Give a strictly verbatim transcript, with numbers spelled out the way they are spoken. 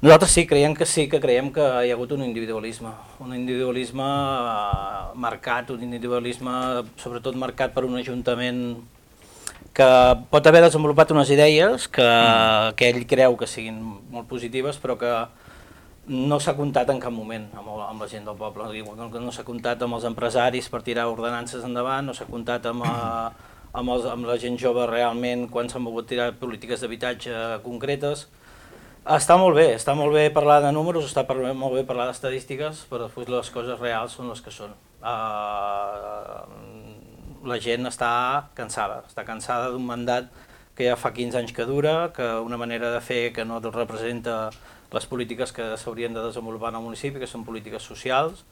Nosaltres sí, creiem que sí, que creiem que hi ha hagut un individualisme, un individualisme eh, marcat, un individualisme sobretot marcat per un ajuntament que pot haver desenvolupat unes idees que, mm. que ell creu que siguin molt positives, però que no s'ha comptat en cap moment amb, el, amb la gent del poble, no, no s'ha comptat amb els empresaris per tirar ordenances endavant, no s'ha comptat amb, eh, amb, els, amb la gent jove realment quan s'han volgut tirar polítiques d'habitatge concretes. Està molt bé, està molt bé parlar de números, està molt bé parlar d'estadístiques, però després les coses reals són les que són. Uh, la gent està cansada, està cansada d'un mandat que ja fa quinze anys que dura, que una manera de fer que no representa les polítiques que s'haurien de desenvolupar en el municipi, que són polítiques socials,